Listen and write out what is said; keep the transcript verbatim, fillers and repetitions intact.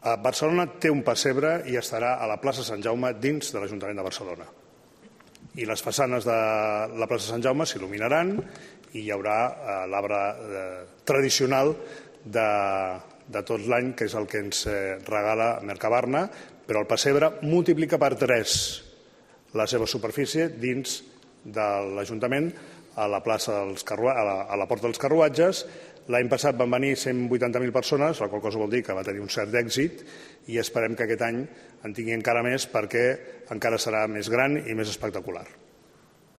Barcelona té un pessebre i estarà a la plaça Sant Jaume dins de l'Ajuntament de Barcelona. I les façanes de la plaça Sant Jaume s'il·luminaran i hi haurà l'arbre tradicional de, de tot l'any, que és el que ens regala Mercabarna, però el pessebre multiplica per tres la seva superfície dins de l'Ajuntament a la plaça dels Carruatges, a la, a la Porta dels Carruatges. L'any passat van venir cent vuitanta mil persones, la qual cosa vol dir que va tenir un cert èxit, i esperem que aquest any en tingui encara més perquè encara serà més gran i més espectacular.